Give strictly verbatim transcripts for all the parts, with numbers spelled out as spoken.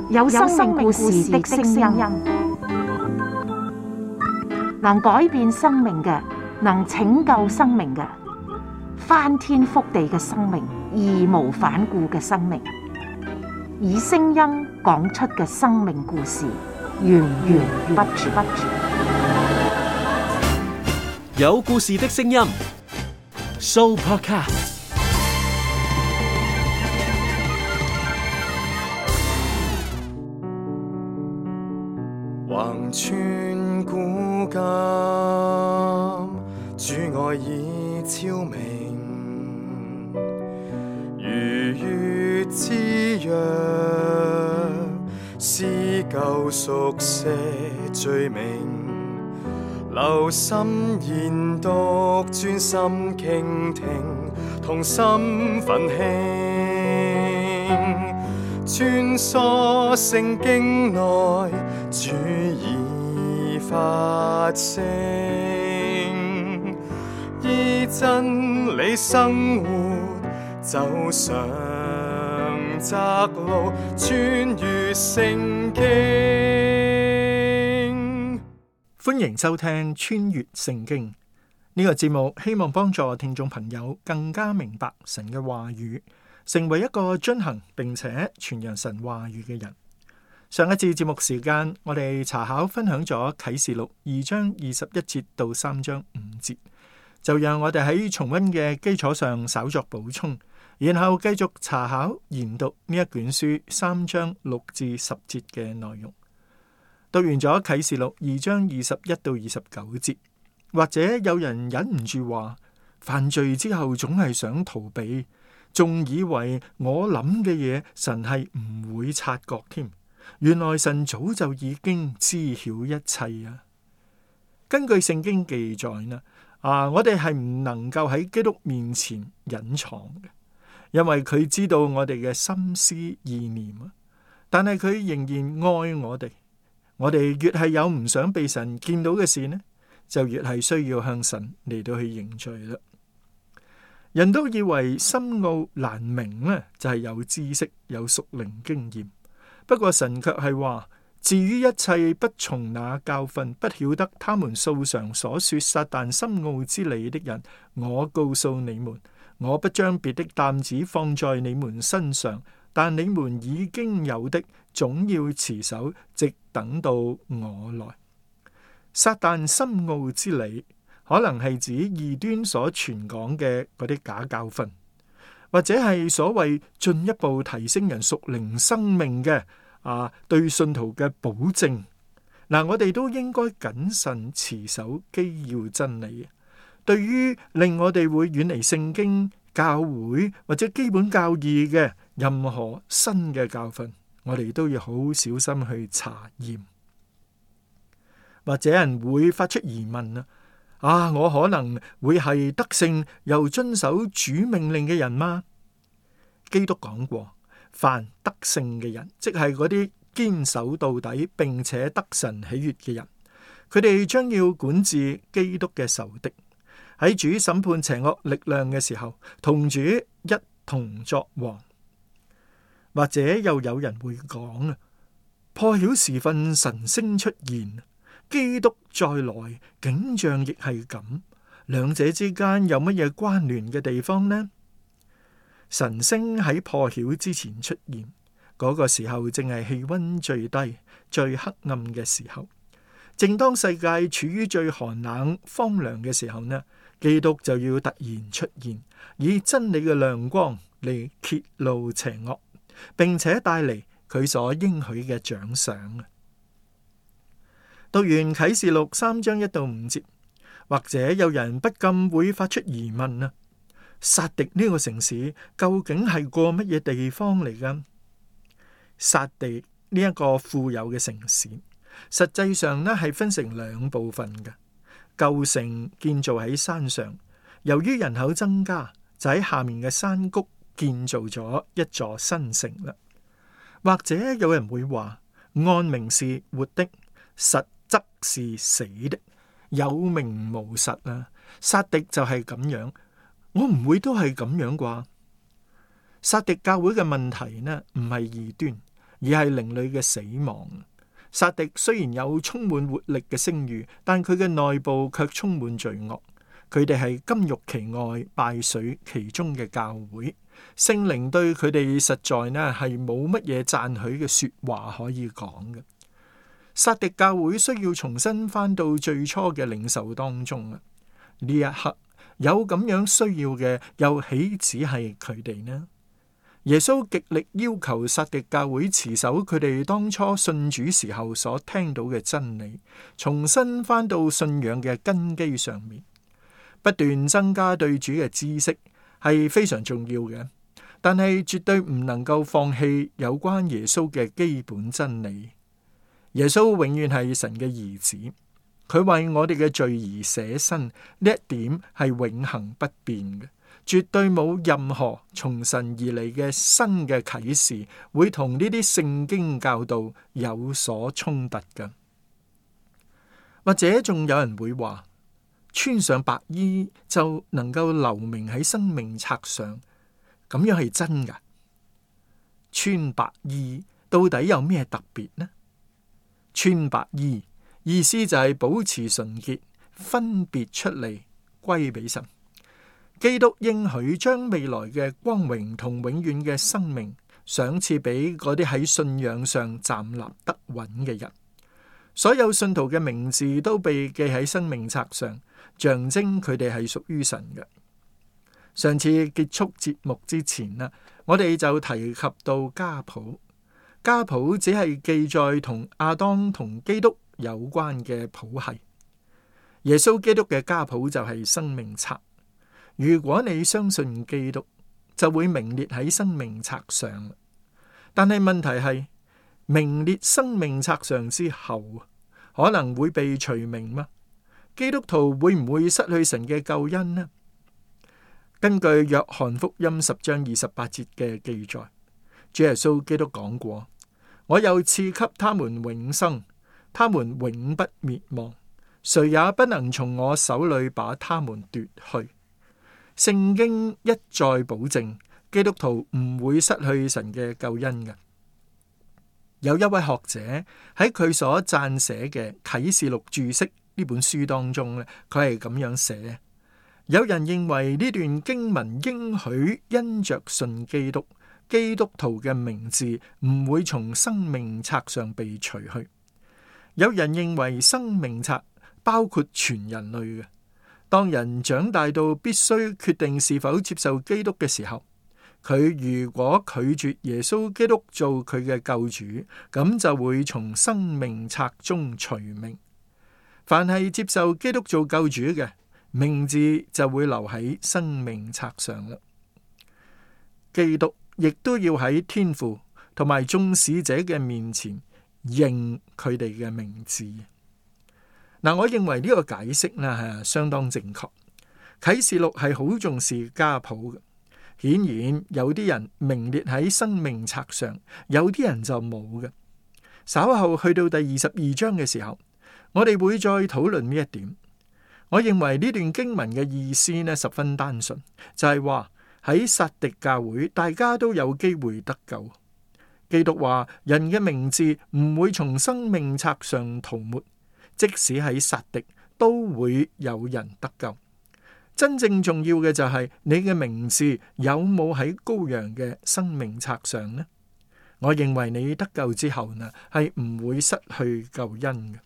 有生命故事的聲音，能改變生命嘅，能拯救生命嘅，翻天覆地嘅生命，義無反顧嘅生命，以聲音講出嘅生命故事，源源不絕。有故事的聲音 ，Sooopodcast。橫穿古今，主愛已超明，如月之約，撕舊熟寫罪名，留心研讀，專心傾聽，同心奮興，穿梭聖經內，主已發聲，依真理生活，走上窄路，穿越聖經。歡迎收聽穿越聖經呢個節目，希望幫助聽眾朋友更加明白神嘅話語，成為一個遵行並且傳揚神話語嘅人。上一次節目時間，我哋查考分享咗啟示錄二章二十一節到三章五節，就讓我哋喺重溫嘅基礎上稍作補充，然後繼續查考研讀呢一卷書三章六至十節嘅內容。讀完咗啟示錄二章二十一到二十九節，或者有人忍唔住話，犯罪之後總係想逃避，仲以為我諗嘅嘢神係唔會察覺添。原來神早就已經知曉一切啊！根據聖經記載呢，啊，我哋係唔能夠喺基督面前隱藏嘅，因為佢知道我哋嘅心思意念啊。但係佢仍然愛我哋，我哋越係有唔想被神見到嘅事呢，就越係需要向神嚟到去認罪啦。人都以為深奧難明呢，就係有知識有屬靈經驗。不過神卻係話，至於一切不從那教訓，不曉得他們素常所說撒但深奧之理的人，我告訴你們，我不將別的擔子放在你們身上，但你們已經有的，總要持守，直等到我來。撒但深奧之理，可能係指異端所傳講嘅嗰啲假教訓，或者係所謂進一步提升人屬靈生命嘅啊，對信徒嘅保證。嗱，我哋都應該謹慎持守基要真理。對於令我哋會遠離聖經、教會或者基本教義嘅任何新嘅教訓，我哋都要好小心去查驗。或者人會發出疑問啊，啊，我可能會係得勝又遵守主命令嘅人嗎？基督講過，凡得勝嘅人，即係嗰啲堅守到底並且得神喜悅嘅人，佢哋將要管治基督嘅仇敵，喺主審判邪惡力量嘅時候，同主一同作王。或者又有人會講啊，破曉時分神星出現，基督再來景象亦係咁，兩者之間有乜嘢關聯嘅地方呢？神星喺破曉之前出現，嗰個時候正係氣溫最低、最黑暗嘅時候。正當世界處於最寒冷、荒涼嘅時候呢，基督就要突然出現，以真理嘅亮光嚟揭露邪惡，並且帶嚟佢所應許嘅獎賞。讀完啟示錄三章一到五節，或者有人不禁會發出疑問啊，撒狄呢個城市究竟係個乜嘢地方嚟㗎？撒狄呢一個富有嘅城市，實際上呢係分成兩部分嘅。舊城建造喺山上，由於人口增加，就喺下面嘅山谷建造咗一座新城啦。或者有人會話，按名是活的，實則是死的，有名無實啊！撒狄就係咁樣，我唔會都係咁樣啩？撒狄教會嘅問題呢，唔係異端，而係靈裏嘅死亡。撒狄雖然有充滿活力嘅聲譽，但佢嘅內部卻充滿罪惡。佢哋係金玉其外，敗絮其中嘅教會。聖靈對佢哋實在呢係冇乜嘢讚許嘅說話可以講嘅。撒狄教會需要重新返到最初嘅領袖當中啊！呢一刻有咁樣需要嘅，又豈止係佢哋呢？耶穌極力要求撒狄教會持守佢哋當初信主時候所聽到嘅真理，重新返到信仰嘅根基上面，不斷增加對主嘅知識係非常重要嘅，但係絕對唔能夠放棄有關耶穌嘅基本真理。耶穌永遠係神嘅兒子，佢為我哋嘅罪而捨身，呢一點係永恆不變嘅，絕對冇任何從神而嚟嘅新嘅啟示會同呢啲聖經教導有所衝突嘅。或者仲有人會話，穿上白衣就能夠留名喺生命冊上，咁樣係真㗎？穿白衣到底有咩特別呢？穿白衣意思就係保持純潔，分別出嚟歸俾神。基督應許將未來嘅光榮同永遠嘅生命賞賜俾嗰啲喺信仰上站立得穩嘅人。所有信徒嘅名字都被記喺生命冊上，象徵佢哋係屬於神嘅。上次結束節目之前啦，我哋就提及到家譜。家譜只係記載同亞當同基督有關嘅譜系。耶穌基督嘅家譜就係生命冊。如果你相信基督，就會名列喺生命冊上。但係問題係，名列生命冊上之後，可能會被除名嗎？基督徒會唔會失去神嘅救恩呢？根據約翰福音十章二十八節嘅記載，主耶穌基督講過：我又賜給他們永生，他們永不滅亡，誰也不能從我手裏把他們奪去。聖經一再保證，基督徒唔會失去神嘅救恩嘅。有一位學者喺佢所撰寫嘅啟示錄注釋呢本書當中咧，佢係咁樣寫：有人認為呢段經文應許因着信基督，基督徒嘅名字唔會從生命冊上被除去。有人認為生命冊包括全人類嘅。當人長大到必須決定是否接受基督嘅時候，佢如果拒絕耶穌基督做佢嘅救主，咁就會從生命冊中除名。凡係接受基督做救主嘅，名字就會留喺生命冊上啦。基督亦都要喺天父同埋眾使者嘅面前認佢哋嘅名字。嗱，我認為呢個解釋呢係相當正確。啟示錄係好重視家譜嘅，顯然有啲人名列喺生命冊上，有啲人就冇嘅。稍後去到第二十二章嘅時候，我哋會再討論呢一點。我認為呢段經文嘅意思呢十分單純，就係話喺撒狄教會，大家都有機會得救。基督話人嘅名字唔會從生命冊上塗抹。即使喺撒狄都會有人得救。真正重要嘅就係你嘅名字有冇喺羔羊嘅生命冊上呢？我認為你得救之後呢，係唔會失去救恩嘅。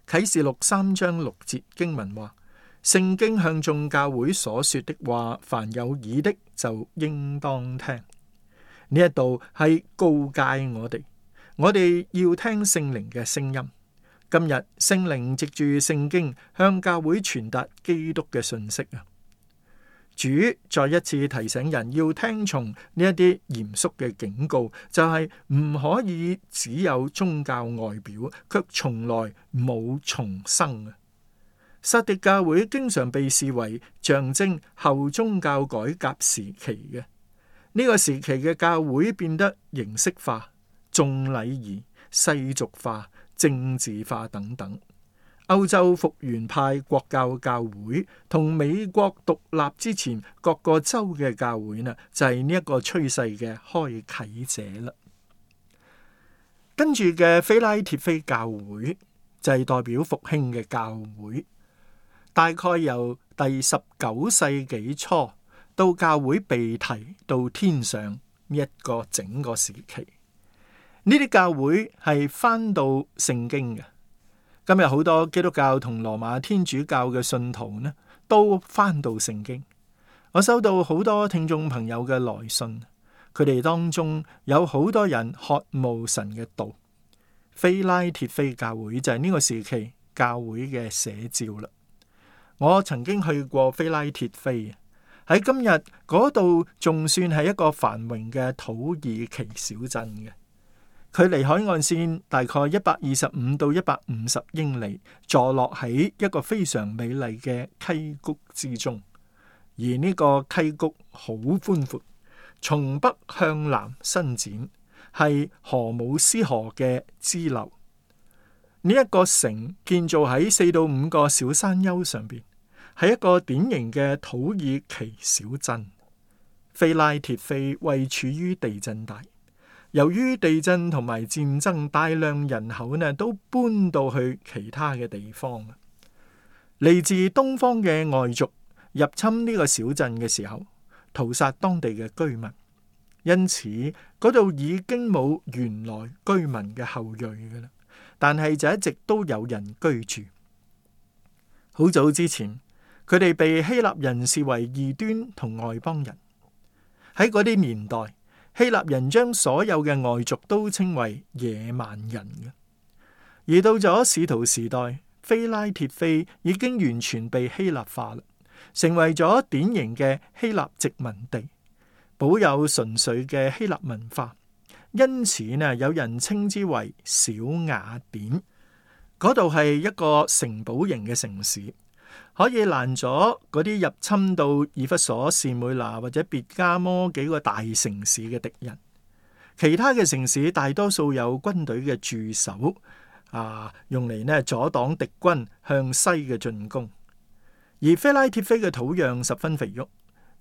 啟示錄三章六節經文話：聖經向眾教會所說的話，凡有耳的就應當聽。呢一度係告誡我哋，我哋要聽聖靈嘅聲音。今日聖靈藉住聖經向教會傳達基督嘅信息啊！主再一次提醒人要聽從呢一啲嚴肅嘅警告，就係唔可以只有宗教外表，卻從來冇重生啊！撒狄教會經常被視為象徵後宗教改革時期嘅，呢個時期嘅教會變得形式化、重禮儀、世俗化、政治化等等。歐洲復原派國教教會同美國獨立之前各個州嘅教會呢，就係呢一個趨勢嘅開啟者啦。跟住嘅非拉鐵非教會就係代表復興嘅教會，大概由第十九世紀初到教會被提到天上呢一個整個時期。呢啲教會係翻到聖經嘅。今日好多基督教同羅馬天主教嘅信徒呢，都翻到聖經。我收到好多聽眾朋友嘅來信，佢哋當中有好多人渴慕神嘅道。非拉鐵非教會就係呢個時期教會嘅寫照啦。我曾經去過非拉鐵非，喺今日嗰度仲算係一個繁榮嘅土耳其小鎮嘅，距離海岸線大概一百二十五到一百五十英里，坐落喺一個非常美麗嘅溪谷之中。而呢個溪谷好寬闊，從北向南伸展，係荷姆斯河嘅支流。呢、這、一個城建造喺四到五個小山丘上邊，係一個典型嘅土耳其小鎮。非拉鐵非位處於地震帶，由於地震同埋戰爭，大量人口呢都搬到去其他嘅地方。嚟自東方嘅外族入侵呢個小鎮嘅時候，屠殺當地嘅居民，因此嗰度已經冇原來居民嘅後裔㗎喇，但係就一直都有人居住。好早之前，佢哋被希臘人視為異端同外邦人。喺嗰啲年代，希臘人將所有嘅外族都稱為野蠻人嘅。而到咗使徒時代，非拉鐵非已經完全被希臘化啦，成為咗典型嘅希臘殖民地，保有純粹嘅希臘文化。因此呢，有人稱之為小雅典。嗰度係一個城堡型嘅城市，可以攔咗嗰啲入侵到以弗所、士每拿或者別加摩幾個大城市嘅敵人。其他嘅城市大多數有軍隊嘅駐守，啊，用嚟呢阻擋敵軍向西嘅進攻。而非拉鐵非嘅土壤十分肥沃，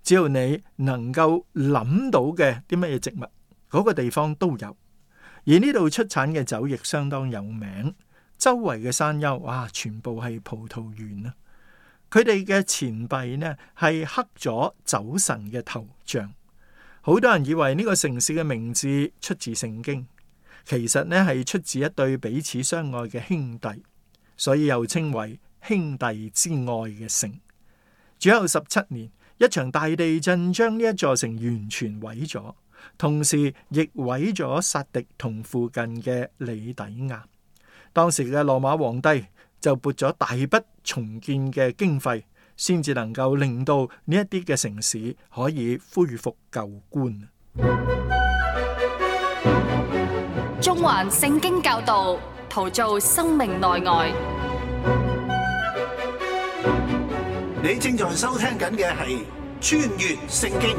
只要你能夠諗到嘅啲乜嘢植物，嗰個地方都有。而呢度出產嘅酒亦相當有名，周圍嘅山丘，哇，全部係葡萄園啊！佢哋嘅錢幣呢係刻咗酒神嘅頭像。好多人以為呢個城市嘅名字出自聖經，其實呢係出自一對彼此相愛嘅兄弟，所以又稱為兄弟之愛嘅城。主後十七年，一場大地震將呢一座城完全毀咗，同時亦毀咗撒狄同附近嘅里底亞。當時嘅羅馬皇帝就撥咗大筆重建嘅經費，先至能夠令到呢一啲嘅城市可以恢復舊觀。中環聖經教導，陶造生命內外。你正在收聽緊嘅係穿越聖經。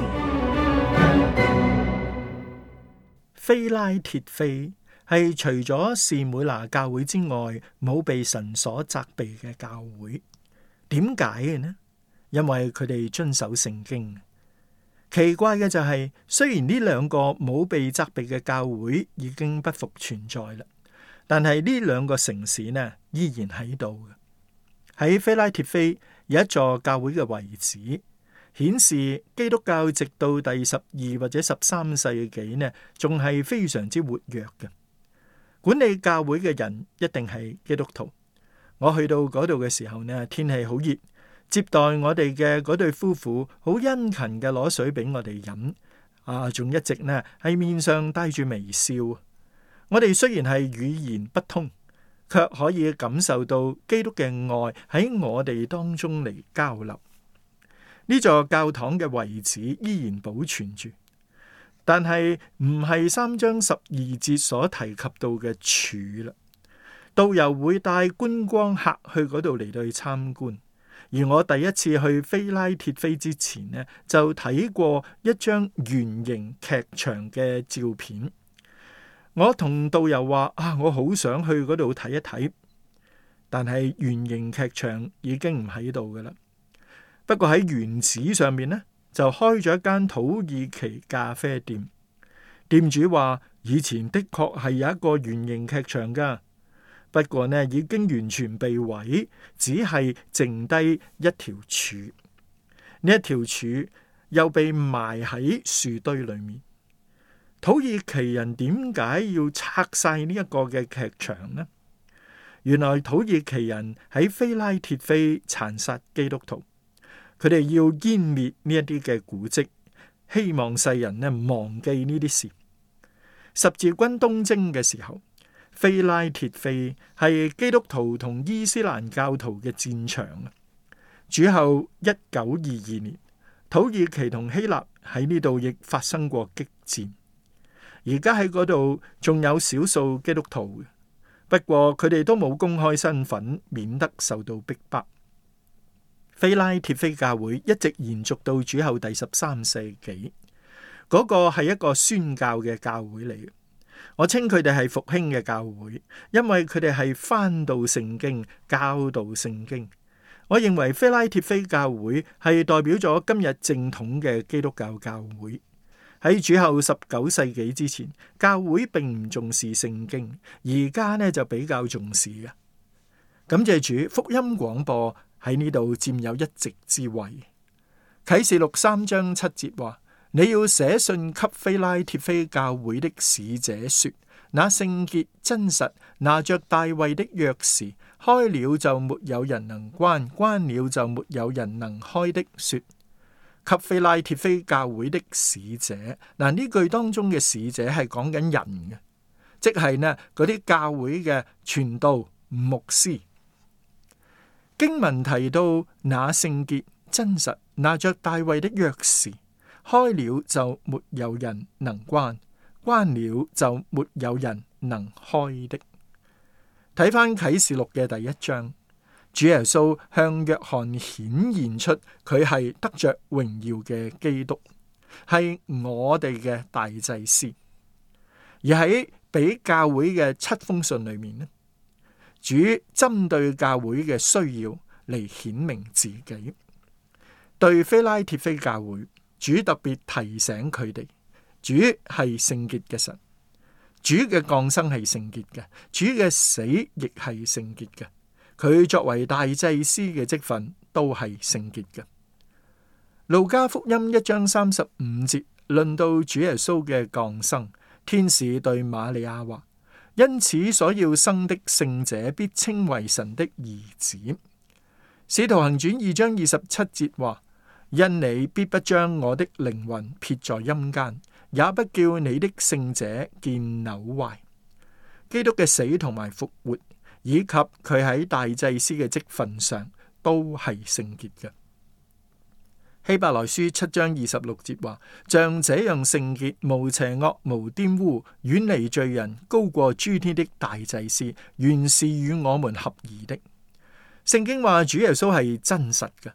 非拉鐵非係除咗士每拿教會之外冇被神所責備嘅教會。點解嘅呢？因為佢哋遵守聖經。奇怪嘅就係、是，雖然呢兩個冇被責備嘅教會已經不復存在啦，但係呢兩個城市呢依然喺度嘅。喺非拉鐵非有一座教會嘅遺址，顯示基督教直到第十二或者十三世紀呢，仲係非常之活躍嘅。管理教會嘅人一定係基督徒。我去到嗰度嘅時候呢，天氣好熱，接待我哋嘅嗰對夫婦好殷勤嘅攞水俾我哋飲，啊，仲一直呢喺面上帶住微笑。我哋雖然係語言不通，卻可以感受到基督嘅愛喺我哋當中嚟交流。呢座教堂嘅遺址依然保存住，但係唔係三章十二節所提及到嘅柱啦。導遊會帶觀光客去嗰度嚟到去參觀，而我第一次去非拉鐵非之前呢，就睇過一張圓形劇場嘅照片。我同導遊話啊，我好想去嗰度睇一睇，但係圓形劇場已經唔喺度噶啦。不過喺原址上面呢，就開咗一間土耳其咖啡店。店主話以前的確係有一個圓形劇場噶，不過呢已經完全被毀，只係剩低一條柱。呢一條柱又被埋喺樹堆裏面。土耳其人點解要拆晒呢一個嘅劇場呢？原來土耳其人喺非拉鐵非殘殺基督徒，佢哋要湮滅呢一啲嘅古蹟，希望世人呢忘記呢啲事。十字軍東征嘅時候，非拉鐵非係基督徒同伊斯蘭教徒嘅戰場啊。主後一九二二年，土耳其同希臘喺呢度亦發生過激戰。而家喺嗰度仲有少數基督徒，不過佢哋都冇公開身份，免得受到逼迫。非拉鐵非教會一直延續到主後第十三世紀，嗰個係一個宣教嘅教會嚟嘅。我稱佢哋係復興嘅教會，因為佢哋係翻到聖經，教導聖經。我認為非拉鐵非教會係代表咗今日正統嘅基督教教會。喺主後十九世紀之前，教會並唔重視聖經，而家呢就比較重視嘅。感謝主，福音廣播喺呢度佔有一席之位。啟示錄三章七節話：你要寫信給非拉鐵非教會的使者說，那聖潔真實拿着大衛的鑰匙，開了就沒有人能關，關了就沒有人能開的說。給非拉鐵非教會的使者，嗱，呢句當中嘅使者係講緊人嘅，即係呢嗰啲教會嘅傳道牧師。經文提到那聖潔真實拿着大衛的鑰匙，開了就沒有人能關，關了就沒有人能開的。睇翻啟示錄嘅第一章，主耶穌向約翰顯現出佢係得着榮耀嘅基督，係我哋嘅大祭司。而喺俾教會嘅七封信裏面呢，主針對教會嘅需要嚟顯明自己。對非拉鐵非教會，主特別提醒佢哋，主係聖潔嘅神，主嘅降生係聖潔嘅，主嘅死亦係聖潔嘅。佢作為大祭司嘅職分都係聖潔嘅。路加福音一章三十五節論到主耶穌嘅降生，天使對瑪利亞話：因此所要生的聖者必稱為神的兒子。使徒行傳二章二十七節話：因你必不將我的靈魂撇在陰間，也不叫你的聖者見朽壞。基督嘅死同埋復活，以及佢喺大祭司嘅職份上都係聖潔嘅。希伯來書七章二十六節話：像這樣聖潔、無邪惡、無玷污、遠離罪人、高過諸天的大祭司，原是與我們合宜的。聖經話主耶穌係真實嘅。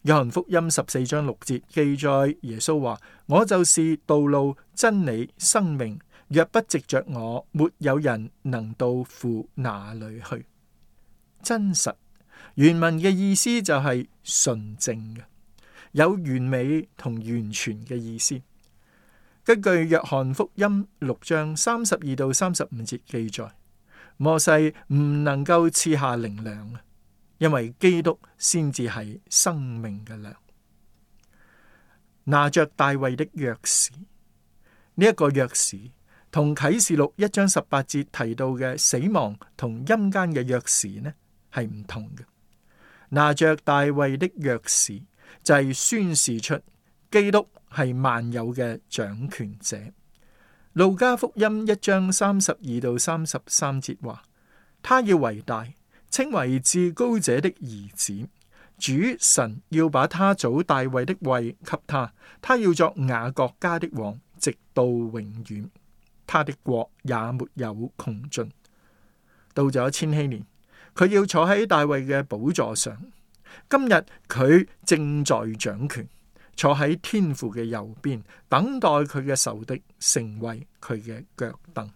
約翰福音十四章六節記載耶穌話：我就是道路、真理、生命。若不藉着我，沒有人能到父那裏去。真實原文嘅意思就係純正嘅，有完美同完全嘅意思。根據約翰福音六章三十二到三十五節記載，摩西唔能夠賜下靈糧，因為基督先至係生命嘅糧。拿着大衛的鑰匙，呢一個鑰匙同啟示錄一章十八節提到嘅死亡同陰間嘅鑰匙呢係唔同嘅。拿着大衛的鑰匙就係宣示出基督係萬有嘅掌權者。路加福音一章三十二到三十三節話：他要為大，稱為至高者的兒子。主神要把他祖大衛的位給他，他要作雅各家的王，直到永遠。他的國也沒有窮盡。到咗千禧年，佢要坐喺大衛嘅寶座上。今日佢正在掌權，坐喺天父嘅右邊，等待佢嘅仇敵成為佢嘅腳凳。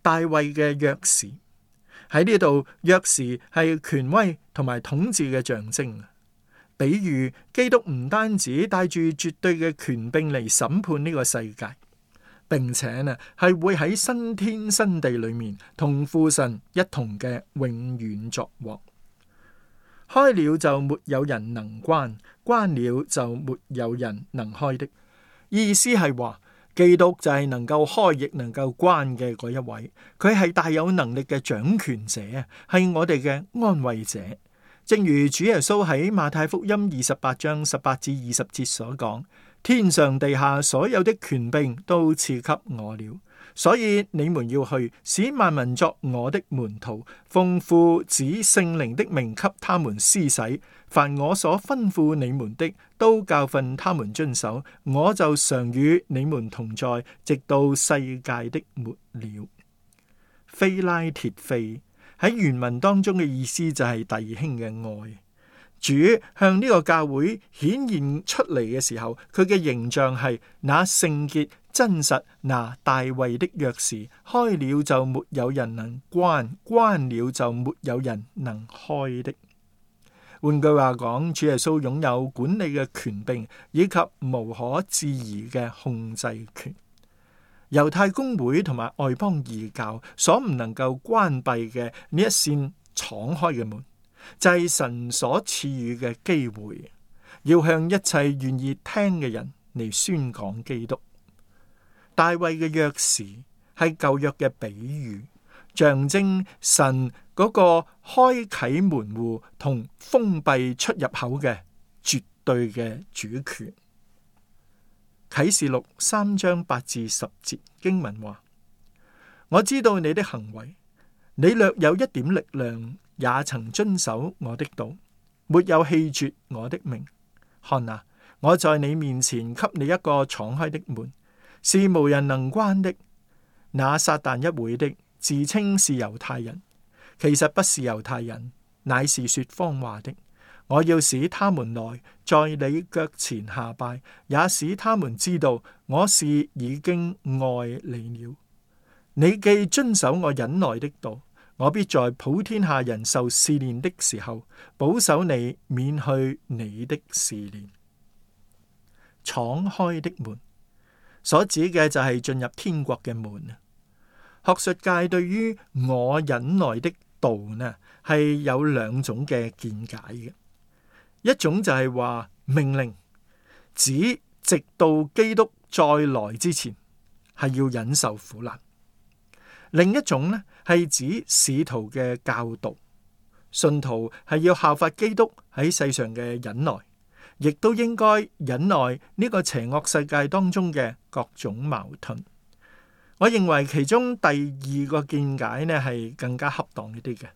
大衛嘅鑰匙喺呢度，鑰匙係權威同埋統治嘅象徵。比喻基督唔單止帶住絕對嘅權柄嚟審判呢個世界，並且呢係會喺新天新地裏面同父神一同嘅永遠作王。開了就沒有人能關，關了就沒有人能開的。意思係話，基督就係能夠開亦能夠關嘅嗰一位，佢係大有能力嘅掌權者，係我哋嘅安慰者。正如主耶穌喺馬太福音二十八章十八至二十節所講，天上地下所有的權柄都賜給我了，所以你們要去，使萬民作我的門徒，奉父子聖靈的名給他們施洗，凡我所吩咐你們的，都教訓他們遵守，我就常與你們同在，直到世界的末了。非拉鐵非喺原文當中嘅意思就係弟兄嘅愛。主向呢個教會顯現出嚟嘅時候，佢嘅形象係那聖潔真實拿大衛的鑰匙，開了就沒有人能關，關了就沒有人能開的。換句話講，主耶穌擁有管理嘅權柄以及無可置疑嘅控制權。猶太公會同埋外邦異教所唔能夠關閉嘅呢一扇敞開嘅門，就係神所賜予嘅機會，要向一切願意聽嘅人嚟宣講基督。大衛嘅鑰匙係舊約嘅比喻，象徵神嗰個開啟門戶同封閉出入口嘅絕對嘅主權。啟示錄三章八至十節經文話：我知道你的行為，你略有一點力量，也曾遵守我的道，沒有棄絕我的名。看啊，我在你面前給你一個敞開的門，是無人能關的。那撒旦一會的，自稱是猶太人，其實不是猶太人，乃是說謊話的。我要使他們來，在你腳前下拜，也使他們知道我是已經愛你了。你既遵守我忍耐的道，我必在普天下人受試煉的時候，保守你免去你的試煉。敞開的門所指嘅就係進入天國嘅門。學術界對於我忍耐的道呢，係有兩種嘅見解嘅。一種就係話命令，指直到基督再來之前係要忍受苦難。另一種呢係指使徒嘅教導，信徒係要效法基督喺世上嘅忍耐，亦都應該忍耐呢個邪惡世界當中嘅各種矛盾。我認為其中第二個見解呢係更加恰當一啲嘅。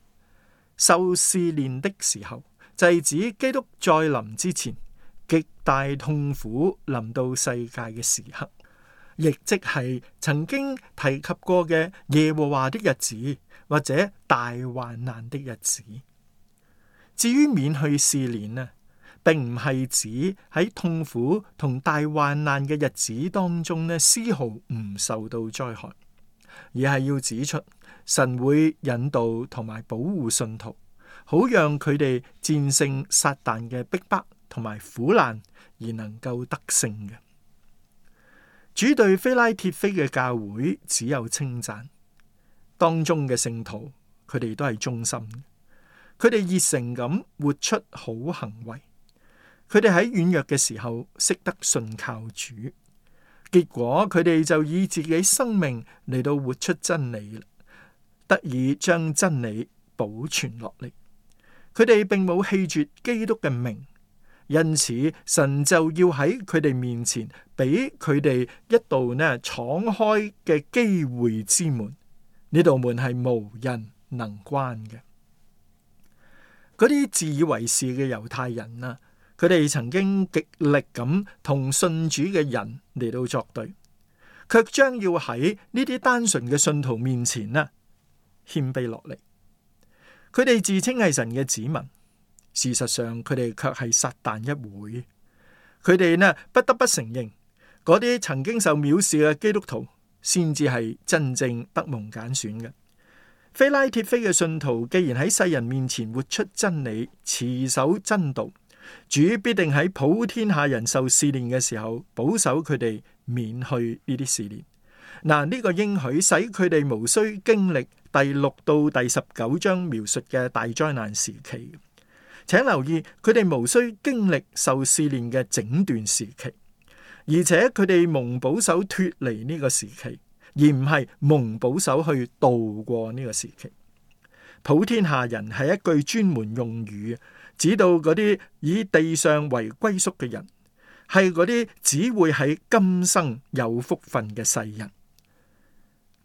受試煉的時候，就係指基督再臨之前極大痛苦臨到世界嘅時刻，亦即係曾經提及過嘅耶和華的日子，或者大患難的日子。至於免去試煉呢，並唔係指喺痛苦同大患難嘅日子當中呢，絲毫唔受到災害，而係要指出神會引導同埋保護信徒，好讓佢哋戰勝撒旦嘅逼迫同埋苦難，而能夠得勝嘅。主對非拉鐵非嘅教會只有稱讚，當中嘅聖徒佢哋都係忠心，佢哋熱誠咁活出好行為，佢哋喺軟弱嘅時候識得信靠主，結果佢哋就以自己生命嚟到活出真理，得以將真理保存落嚟。佢哋並冇棄絕基督嘅名，因此神就要喺佢哋面前俾佢哋一道呢敞開嘅機會之門。呢道門係無人能關嘅。嗰啲自以為是嘅猶太人啊，佢哋曾經極力咁同信主嘅人嚟到作對，卻將要喺呢啲單純嘅信徒面前呢謙卑落嚟。佢哋自稱係神嘅子民，事實上佢哋卻係撒旦一會。佢哋呢不得不承認，嗰啲曾經受藐視嘅基督徒，先至係真正得蒙揀選嘅。非拉鐵非嘅信徒，既然喺世人面前活出真理，持守真道，主必定喺普天下人受試煉嘅時候，保守佢哋免去呢啲試煉。嗱，呢個應許使佢哋無需經歷第六到第十九章描述嘅大災難時期。請留意，佢哋無需經歷受試煉嘅整段時期，而且佢哋蒙保守脫離呢個時期，而唔係蒙保守去度過呢個時期。普天下人係一句專門用語，指到嗰啲以地上為歸宿嘅人，係嗰啲只會喺今生有福分嘅世人。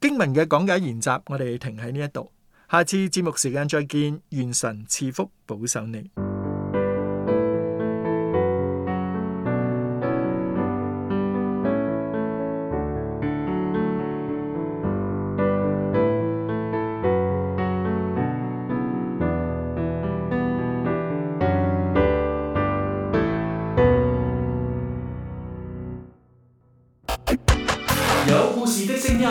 經文嘅講解研習，我哋停喺呢一度。下次節目時間再見，願神賜福保守你。有故事的聲音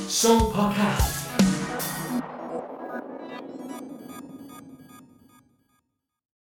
，Show Podcast。